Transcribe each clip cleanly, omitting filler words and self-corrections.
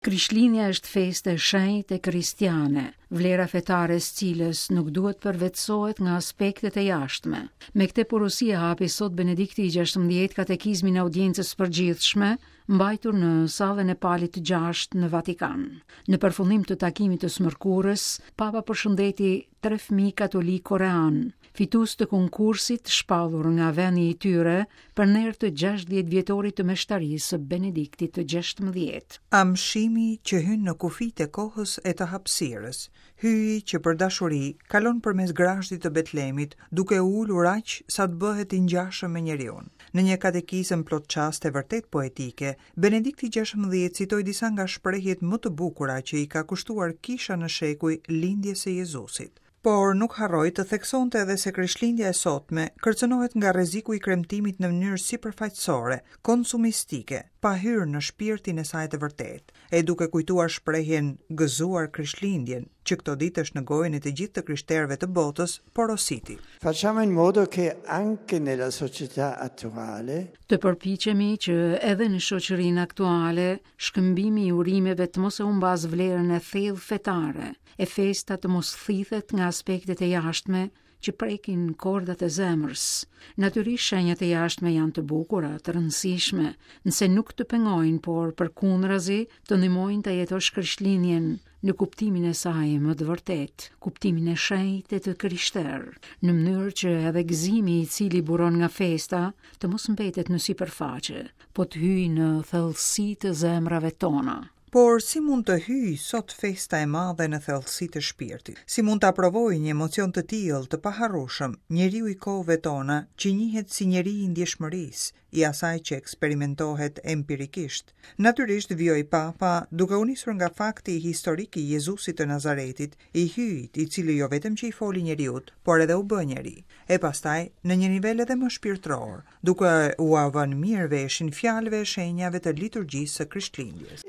Krishtlindja është festë e shenjtë e kristiane, vlera fetare e së cilës nuk duhet përvetësohet nga aspektet e jashtme. Me këtë porosi e hapi sot Benedikti i 16 katekizmin e audiencës së përgjithshme, mbajtur në sallën e Palit të gjashtë në Vatikan. Në përfundim të takimit të së mërkurës, Papa përshëndeti tre fëmijë katolikë koreanë, fitues të konkursit shpallur nga vendi i tyre për nder të 60 vjetorit të meshtarisë së Benediktit të 16. Amshimi që hyn në kufijtë e kohës e të hapësirës, hyji që për dashuri kalon përmes grazhdit të Betlemit, duke u ulur aq sa të bëhet i ngjashëm me njeriun. Në një katekizëm plot çaste vërtet poetike, Benedikti 16 citoi disa nga shprehjet më të bukura që i ka kushtuar kisha në shekuj lindjes së Jezusit. Por nuk harroi të theksonte edhe se Krishtlindja e sotme kërcënohet nga rreziku i kremtimit në mënyrë sipërfaqësore, konsumistike, pa hyrë në shpirtin e saj të vërtetë, e duke kujtuar shprehjen Gëzuar Krishtlindjen, që këto ditë është në gojën e të gjithë të krishterëve të botës, porositi. Facciamo in modo che anche nella società attuale Të përpiqemi që edhe në shoqërinë aktuale shkëmbimi i urimeve të mos e humbasë vlerën e thellë fetare, e festa të mos thithet nga aspektet e jashtme që prekin kordat e zemrës. Natyrisht shenjat e jashtme janë të bukura, të rëndësishme, nëse nuk të pengojnë, por përkundrazi të ndihmojnë ta jetosh Krishtlindjen në kuptimin e saj më të vërtetë, kuptimin e shenjtë e të krishterë, në mënyrë që edhe gëzimi i cili buron nga festa të mos mbetet në sipërfaqe, po të hyjë në thellësi të zemrave tona. Por si mund të hyjë sot festa e madhe në thellësi të shpirtit? Si mund ta provojë një emocion të tillë të paharrueshëm njeriu i kohëve tona që njihet si njeri i ndjeshmërisë, i asaj që eksperimentohet empirikisht? Natyrisht, vijoi Papa, duke u nisur nga fakti historik i Jezusit të Nazaretit, i Hyjit, i cili jo vetëm që i foli njeriut, por edhe u bë njeri, e pastaj në një nivel edhe më shpirtëror, duke ua vënë mirë veshin fjalëve e shenjave të liturgjisë së Krishtlindjes.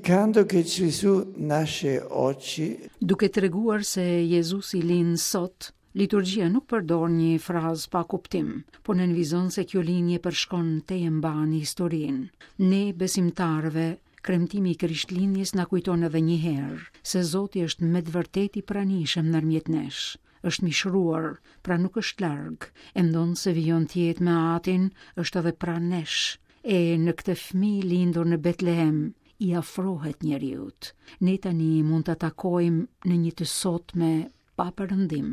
Indicando che Gesù nasce oggi. Duke treguar se Jezusi lind sot, liturgjia nuk përdor një frazë pa kuptim, por nënvizon se kjo lindje përshkon tejembanë historinë. Ne besimtarëve, kremtimi i Krishtlindjes na kujton edhe një herë se Zoti është me të vërtetë i pranishëm ndërmjet nesh. Është mishëruar, pra nuk është larg, e ndonëse vijon të jetë me Atin, është edhe pranë nesh. E në këtë fëmijë lindur në Betlehem, i afrohet njeriut. Ne tani mund ta takojmë në një të sotme pa perëndim.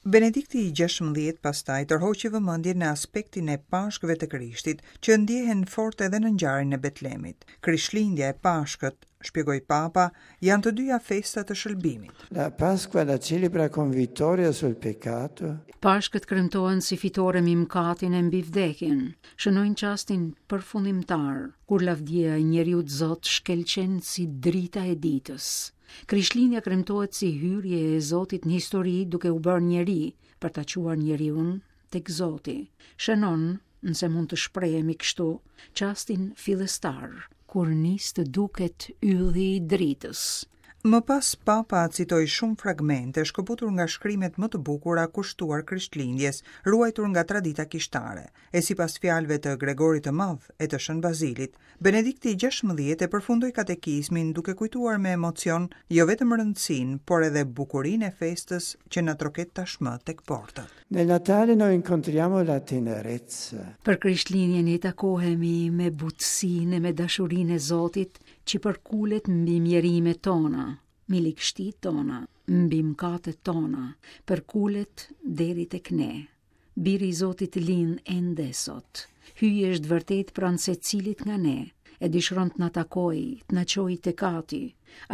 Benedikti i 16 pastaj tërhoqi vëmendjen në aspektin e Pashkëve të Krishtit, që ndjehen fort edhe në ngjarjen e Betlemit. Krishtlindja e Pashkët, shpjegoi Papa, janë të dyja festa të shëlbimit. La Pasqua la celebra con vittoria sul peccato. Pashkët kremtohen si fitore mbi mëkatin e mbi vdekjen, shënojnë çastin përfundimtar, kur lavdia e njeriut Zot shkëlqen si drita e ditës. Krishtlindja kremtohet si hyrje e Zotit në histori duke u bërë njeri për ta çuar njeriun tek Zoti. Shënon nëse mund të shprehemi kështu, çastin fillestar, kur nis të duket ylli i dritës. Më pas Papa citoi shumë fragmente shkëputur nga shkrimet më të bukura kushtuar Krishtlindjes, ruajtur nga tradita kishtare. E sipas fjalëve të Gregorit të Madh e të Shën Bazilit, Benedikti i 16 e përfundoi katekizmin duke kujtuar me emocion jo vetëm rëndësinë, por edhe bukurinë e festës që na troket tashmë tek portat. Nel Natale noi incontriamo la tenerezza. Për Krishtlindjen ne takohemi me butësinë e me dashurinë e Zotit që përkulet mbi mjerimet tona, mbi ligështitë tona, mbi mëkatet tona, përkulet deri tek ne. Biri i Zotit lind ende sot. Hyji është vërtet pranë secilit nga ne, e dëshiron të na takojë, të na çojë tek Ati.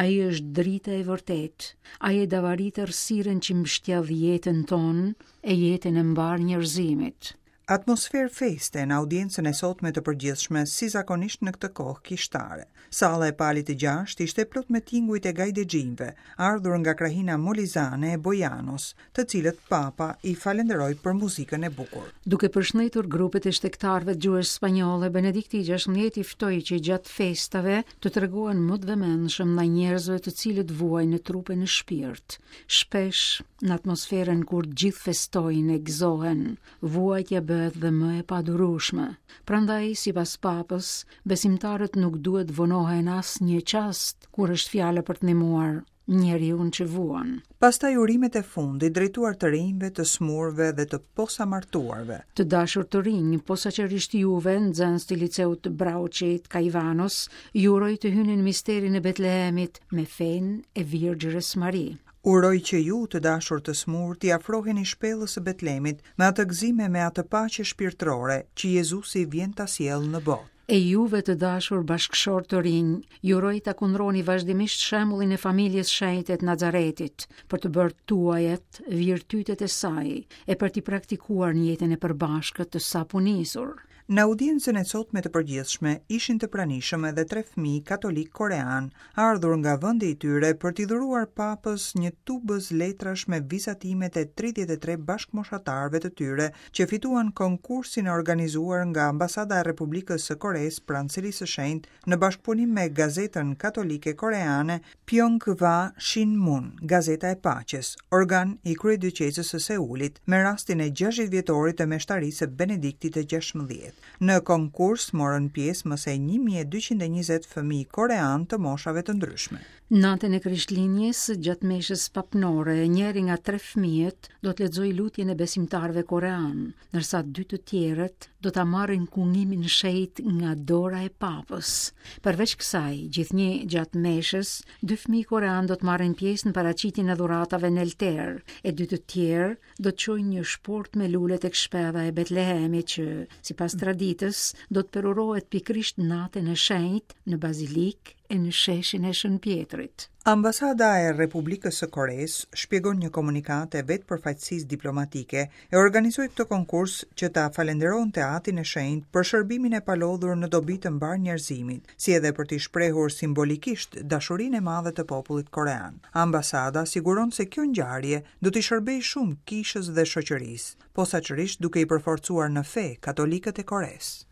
Ai është drita e vërtetë. Ai e davarit errësirën që mbështjell jetën tonë e jetën e mbarë njerëzimit. Atmosferë feste në audiencën e sotme të përgjithshme, si zakonisht në këtë kohë kishtare. Salla e Palit të Gjashtë ishte plot me tingujt e gajdexhinjve, ardhur nga krahina molizane e Bojanos, të cilët Papa i falënderoi për muzikën e bukur. Duke përshëndetur grupet e shtegtarëve të gjuhës spanjolle, Benedikti i 16 i ftoi që gjatë festave të tregohen më të vëmendshëm ndaj njerëzve të cilët vuajnë në trup e në shpirt. Shpesh, në atmosferën kur të gjithë festojnë e gëzohen, vuajtja bëhet. bëhet dhe më e padurueshme. Prandaj, sipas Papës, besimtarët nuk duhet vonohen asnjë çast kur është fjala për të ndihmuar njeriun që vuan. Pastaj urimet e fundit drejtuar të rinjve, të smurve dhe të posamartuarve. Të dashur të rinj, posaçërisht juve, nxënës të liceut të Braucit, Caivanos, ju uroj të hyni në misterin e Betlehemit me fenë e Virgjërës Mari. Uroj që ju, të dashur të smurë, t'i afroheni shpellës së Betlemit me atë gëzim e me atë paqe shpirtërore që Jezusi vjen ta sjellë në botë. E juve të dashur bashkëshortë të rinj, ju uroj ta kundroni vazhdimisht shembullin e familjes shenjte të Nazaretit, për të bërë tuajat virtytet e saj e për t'i praktikuar në jetën e përbashkët të saponisur. Në audiencën e sotme të përgjithshme ishin të pranishëm edhe tre fëmijë katolikë koreanë, ardhur nga vendi i tyre për t'i dhuruar Papës një tubëz letrash me vizatimet e 33 bashkëmoshatarëve të tyre që fituan konkursin e organizuar nga Ambasada e Republikës së Koresë pranë Selisë së Shenjtë në bashkëpunim me gazetën katolike koreane Pyeonghwa Shinmun, Gazeta e Paqes, organ i Kryedioqezës së Seulit, me rastin e 60 vjetorit të meshtarisë së Benediktit të 16. Në konkurs morën pjesë më se 1220 fëmijë koreanë të moshave të ndryshme. Natën e Krishtlindjes, gjatë meshës papnore, njëri nga tre fëmijët do të lexojë lutjen e besimtarëve koreanë, ndërsa dy të tjerët do ta marrin kungimin shenjt nga dora e papës. Përveç kësaj, gjithnjë gjatë meshës, dy fëmijë koreanë do të marrin pjesë në paraqitjen e dhuratave në altar, e dy të tjerë do të çojnë një shportë me lule tek shpella e Betlehemit që, sipas traditës, do të përurohet pikërisht natën e shenjtë në bazilikë e në sheshin e Shën Pjetrit. Ambasada e Republikës së Koresë, shpjegon një komunikatë e vetë përfaqësisë diplomatike, e organizoi këtë konkurs që ta falënderonte Atin e Shenjtë për shërbimin e palodhur në dobi të mbarë njerëzimit, si edhe për t'i shprehur simbolikisht dashurinë e madhe të popullit korean. Ambasada siguron se kjo ngjarje do t'i shërbejë shumë kishës dhe shoqërisë, posaçërisht duke i përforcuar në fe katolikët e Koresë.